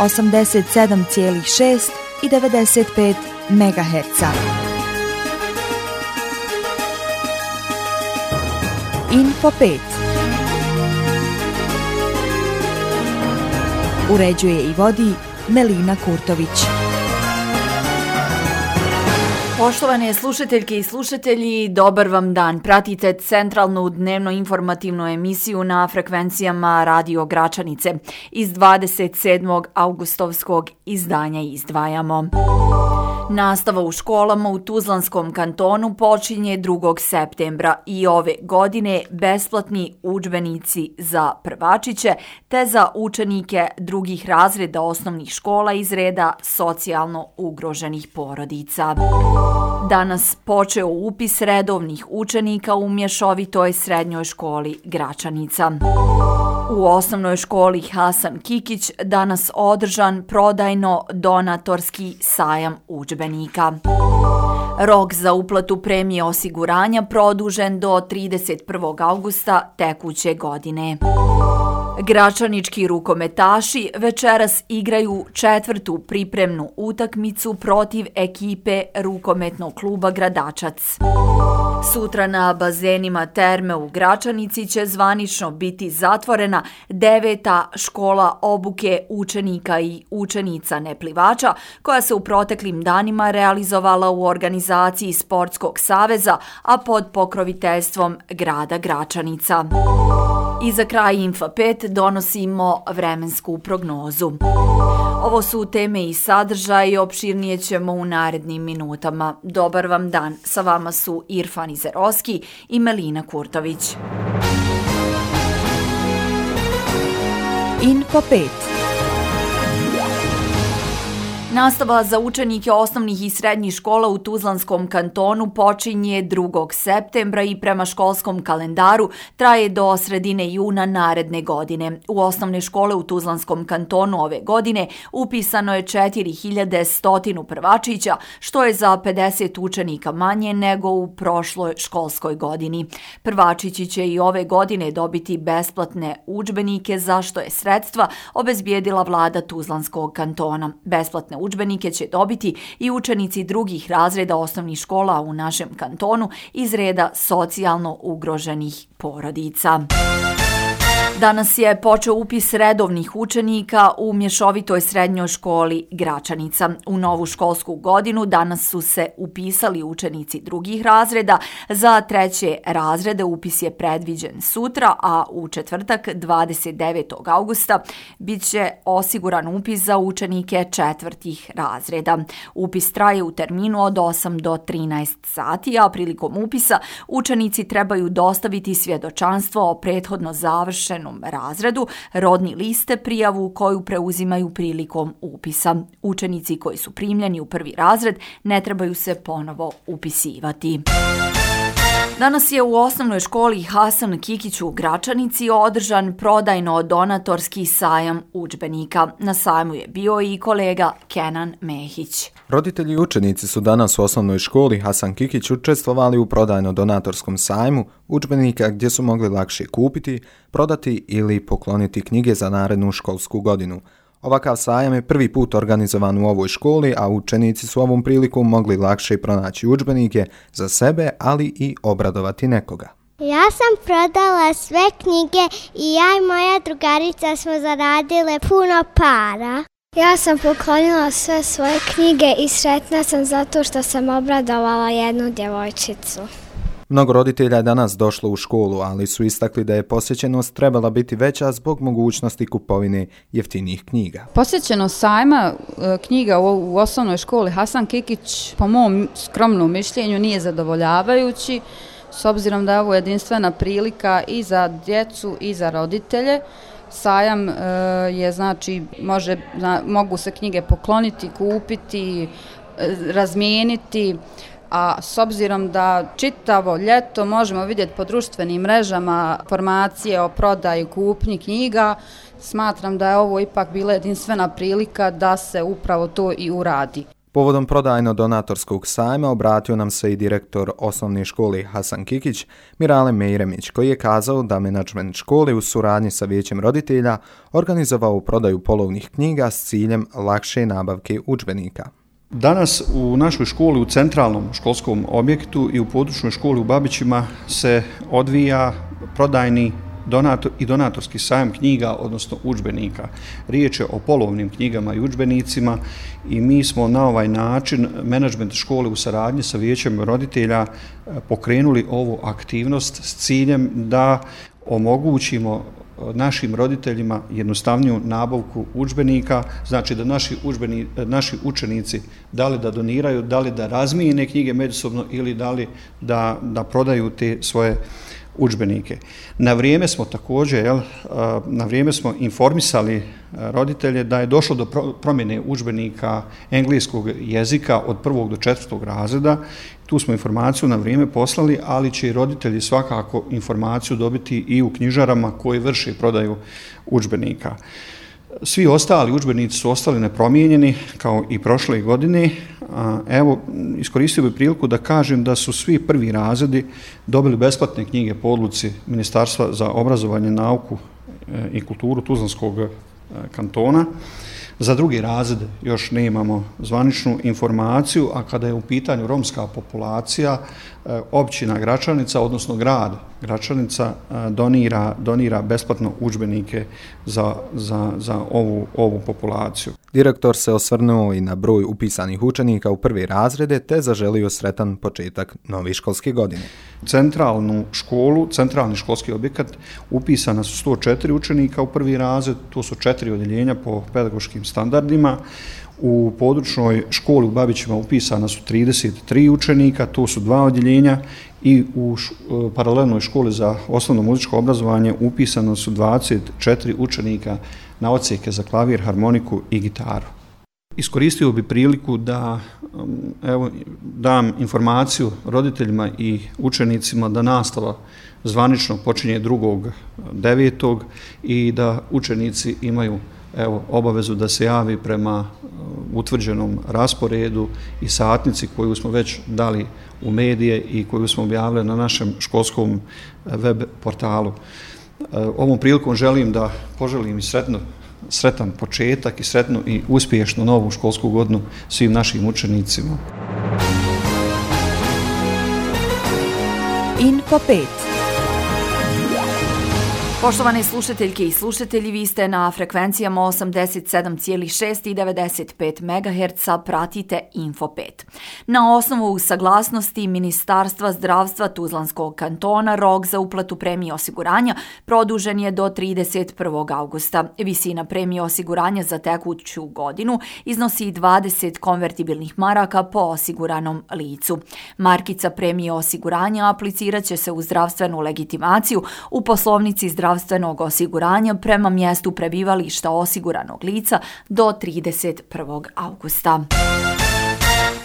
87,6 i 95 MHz. Info 5. Uređuje i vodi Melina Kurtović. Poštovane slušateljke i slušatelji, dobar vam dan. Pratite centralnu dnevno informativnu emisiju na frekvencijama Radio Gračanice. Iz 27. augustovskog izdanja izdvajamo. Nastava u školama u Tuzlanskom kantonu počinje 2. septembra i ove godine besplatni udžbenici za prvačiće te za učenike drugih razreda osnovnih škola iz reda socijalno ugroženih porodica. Danas počeo upis redovnih učenika u mješovitoj srednjoj školi Gračanica. U osnovnoj školi Hasan Kikić danas održan prodajno-donatorski sajam udžbenika. Rok za uplatu premije osiguranja produžen do 31. augusta tekuće godine. Gračanički rukometaši večeras igraju 4. pripremnu utakmicu protiv ekipe rukometnog kluba Gradačac. Sutra na bazenima terme u Gračanici će zvanično biti zatvorena 9. škola obuke učenika i učenica neplivača koja se u proteklim danima realizovala u organizaciji Sportskog saveza, a pod pokroviteljstvom grada Gračanica. I za kraj Info 5 donosimo vremensku prognozu. Ovo su teme i sadržaj, opširnije ćemo u narednim minutama. Dobar vam dan, sa vama su Irfan Izeroski i Melina Kurtović. Info 5. Nastava za učenike osnovnih i srednjih škola u Tuzlanskom kantonu počinje 2. septembra i prema školskom kalendaru traje do sredine juna naredne godine. U osnovne škole u Tuzlanskom kantonu ove godine upisano je 4100 prvačića, što je za 50 učenika manje nego u prošloj školskoj godini. Prvačići će i ove godine dobiti besplatne udžbenike, za što je sredstva obezbijedila vlada Tuzlanskog kantona. Besplatne udžbenike će dobiti i učenici drugih razreda osnovnih škola u našem kantonu iz reda socijalno ugroženih porodica. Danas je počeo upis redovnih učenika u mješovitoj srednjoj školi Gračanica. U novu školsku godinu danas su se upisali učenici drugih razreda. Za 3. razrede upis je predviđen sutra, a u četvrtak 29. augusta bit će osiguran upis za učenike 4. razreda. Upis traje u terminu od 8 do 13 sati, a prilikom upisa učenici trebaju dostaviti svjedočanstvo o prethodno završenom razredu, rodni liste, prijavu koju preuzimaju prilikom upisa. Učenici koji su primljeni u 1. razred ne trebaju se ponovo upisivati. Danas je u osnovnoj školi Hasan Kikić u Gračanici održan prodajno-donatorski sajam udžbenika. Na sajmu je bio i kolega Kenan Mehić. Roditelji i učenici su danas u osnovnoj školi Hasan Kikić učestvovali u prodajno-donatorskom sajmu udžbenika gdje su mogli lakše kupiti, prodati ili pokloniti knjige za narednu školsku godinu. Ovakav sajam je prvi put organizovan u ovoj školi, a učenici su ovom prilikom mogli lakše pronaći udžbenike za sebe, ali i obradovati nekoga. Ja sam prodala sve knjige i ja i moja drugarica smo zaradile puno para. Ja sam poklonila sve svoje knjige i sretna sam zato što sam obradovala jednu djevojčicu. Mnogo roditelja je danas došlo u školu, ali su istakli da je posjećenost trebala biti veća zbog mogućnosti kupovine jeftinijih knjiga. Posjećenost sajma knjiga u osnovnoj školi Hasan Kikić, po mom skromnom mišljenju, nije zadovoljavajući, s obzirom da je ovo jedinstvena prilika i za djecu i za roditelje. Sajam je, znači, mogu se knjige pokloniti, kupiti, razmijeniti, a s obzirom da čitavo ljeto možemo vidjeti po društvenim mrežama informacije o prodaji, kupnji knjiga, smatram da je ovo ipak bila jedinstvena prilika da se upravo to i uradi. Povodom prodajno-donatorskog sajma obratio nam se i direktor osnovne škole Hasan Kikić, Mirale Mejremić, koji je kazao da menadžment škole u suradnji sa vijećem roditelja organizovao prodaju polovnih knjiga s ciljem lakše nabavke udžbenika. Danas u našoj školi, u centralnom školskom objektu i u područnoj školi u Babićima se odvija prodajni i donatorski sajam knjiga, odnosno udžbenika. Riječ je o polovnim knjigama i udžbenicima i mi smo na ovaj način, menadžment škole u saradnji sa vijećem roditelja, pokrenuli ovu aktivnost s ciljem da omogućimo našim roditeljima jednostavniju nabavku udžbenika, znači da naši učenici da li da doniraju, da li da razmijene knjige međusobno ili da li da prodaju te svoje udžbenike. Na vrijeme smo također, na vrijeme smo informisali roditelje da je došlo do promjene udžbenika engleskog jezika od 1. do 4. razreda. Tu smo informaciju na vrijeme poslali, ali će i roditelji svakako informaciju dobiti i u knjižarama koji vrše prodaju udžbenika. Svi ostali udžbenici su ostali nepromijenjeni kao i prošle godine. Evo, iskoristio bih priliku da kažem da su svi prvi razredi dobili besplatne knjige po odluci Ministarstva za obrazovanje, nauku i kulturu Tuzlanskog kantona. Za drugi razred još nemamo zvaničnu informaciju, a kada je u pitanju romska populacija, općina Gračanica, odnosno grad Gračanica, donira besplatno udžbenike za ovu populaciju. Direktor se osvrnuo i na broj upisanih učenika u prve razrede te zaželio sretan početak nove školske godine. Centralni školski objekat upisana su 104 učenika u prvi razred, to su 4 odjeljenja po pedagoškim standardima. U područnoj školi u Babićima upisana su 33 učenika, to su 2 odjeljenja, i u paralelnoj školi za osnovno muzičko obrazovanje upisano su 24 učenika na odsjeke za klavir, harmoniku i gitaru. Iskoristio bi priliku da dam informaciju roditeljima i učenicima da nastava zvanično počinje 2.9. i da učenici imaju obavezu da se javi prema utvrđenom rasporedu i satnici koju smo već dali u medije i koju smo objavili na našem školskom web portalu. Ovom prilikom želim da poželim i sretan početak i sretnu i uspješnu novu školsku godinu svim našim učenicima. Info 5. Poštovane slušateljke i slušatelji, vi ste na frekvencijama 87,6 i 95 MHz, pratite Info 5. Na osnovu saglasnosti Ministarstva zdravstva Tuzlanskog kantona, rok za uplatu premije osiguranja produžen je do 31. augusta. Visina premije osiguranja za tekuću godinu iznosi 20 konvertibilnih maraka po osiguranom licu. Markica premije osiguranja aplicirat će se u zdravstvenu legitimaciju u poslovnici zdravstvenog osiguranja prema mjestu prebivališta osiguranog lica do 31. augusta.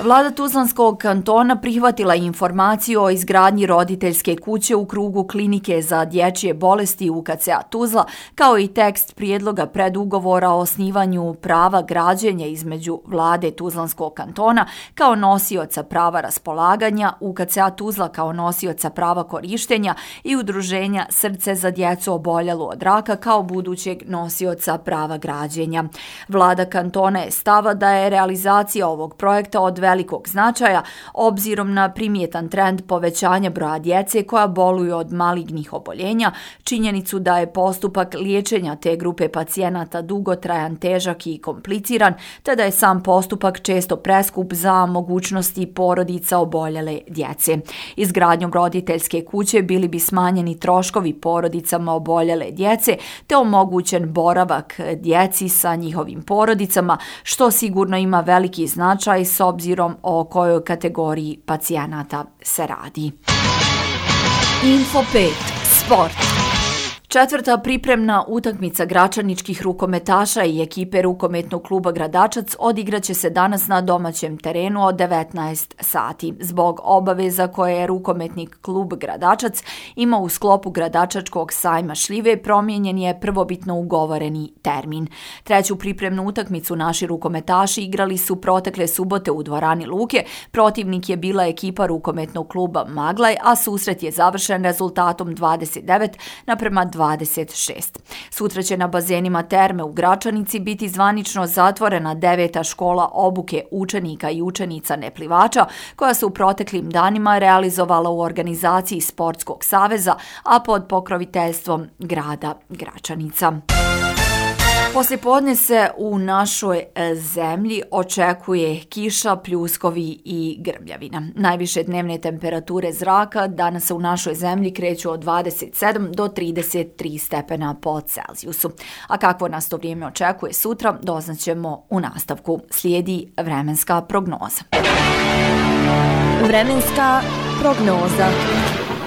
Vlada Tuzlanskog kantona prihvatila informaciju o izgradnji roditeljske kuće u krugu klinike za dječje bolesti UKC-a Tuzla, kao i tekst prijedloga predugovora o osnivanju prava građenja između Vlade Tuzlanskog kantona kao nosioca prava raspolaganja, UKC-a Tuzla kao nosioca prava korištenja i udruženja Srce za djecu oboljelu od raka kao budućeg nosioca prava građenja. Vlada kantona je stava da je realizacija ovog projekta od velikog značaja obzirom na primjetan trend povećanja broja djece koja boluju od malignih oboljenja, činjenicu da je postupak liječenja te grupe pacijenata dugotrajan, težak i kompliciran, te da je sam postupak često preskup za mogućnosti porodica oboljele djece. Izgradnjom roditeljske kuće bili bi smanjeni troškovi porodicama oboljele djece, te omogućen boravak djeci sa njihovim porodicama, što sigurno ima veliki značaj s obzirom o kojoj kategoriji pacijenata se radi. Info 5. Sport. Četvrta pripremna utakmica gračaničkih rukometaša i ekipe rukometnog kluba Gradačac odigraće se danas na domaćem terenu od 19 sati. Zbog obaveza koje je rukometnik klub Gradačac ima u sklopu Gradačačkog sajma šljive, promijenjen je prvobitno ugovoreni termin. Treću pripremnu utakmicu naši rukometaši igrali su protekle subote u dvorani Luke. Protivnik je bila ekipa rukometnog kluba Maglaj, a susret je završen rezultatom 29:26. Sutra će na bazenima Terme u Gračanici biti zvanično zatvorena 9. škola obuke učenika i učenica neplivača, koja se u proteklim danima realizovala u organizaciji Sportskog saveza, a pod pokroviteljstvom grada Gračanica. Poslijepodne se u našoj zemlji očekuje kiša, pljuskovi i grmljavina. Najviše dnevne temperature zraka danas se u našoj zemlji kreću od 27 do 33 stepena po Celzijusu. A kakvo nas to vrijeme očekuje sutra, doznaćemo u nastavku. Slijedi vremenska prognoza. Vremenska prognoza.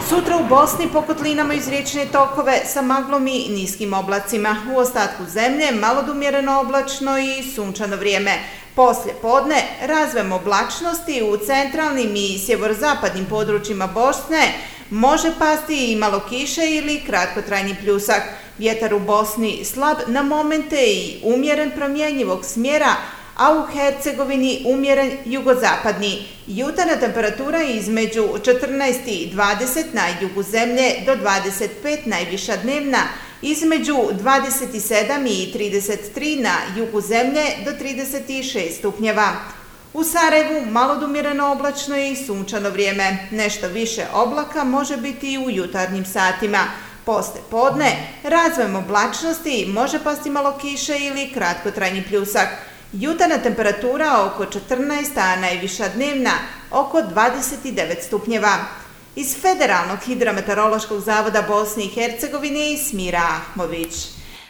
Sutra u Bosni po kotlinama iz riječne tokove sa maglom i niskim oblacima. U ostatku zemlje malo do umjereno oblačno i sunčano vrijeme. Poslije podne razvojem oblačnosti u centralnim i sjeverozapadnim područjima Bosne može pasti i malo kiše ili kratkotrajni pljusak. Vjetar u Bosni slab na momente i umjeren promjenjivog smjera, a u Hercegovini umjeren jugozapadni. Jutarnja temperatura između 14 i 20 na jugu zemlje do 25 najviša dnevna, između 27 i 33 na jugu zemlje do 36 stupnjeva. U Sarajevu malo do umjereno oblačno i sunčano vrijeme. Nešto više oblaka može biti i u jutarnjim satima. Poslije podne razvojem oblačnosti može pasti malo kiše ili kratkotrajni pljusak. Jutarnja temperatura oko 14, a najviša dnevna oko 29 stupnjeva. Iz Federalnog hidrometeorološkog zavoda Bosne i Hercegovine Smira Ahmović.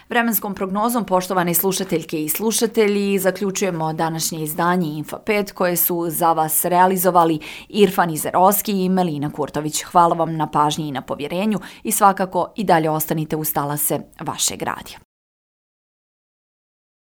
Vremenskom prognozom, poštovane slušateljke i slušatelji, zaključujemo današnje izdanje Info 5 koje su za vas realizovali Irfan Izerovski i Melina Kurtović. Hvala vam na pažnji i na povjerenju i svakako i dalje ostanite uz talase vašeg radija.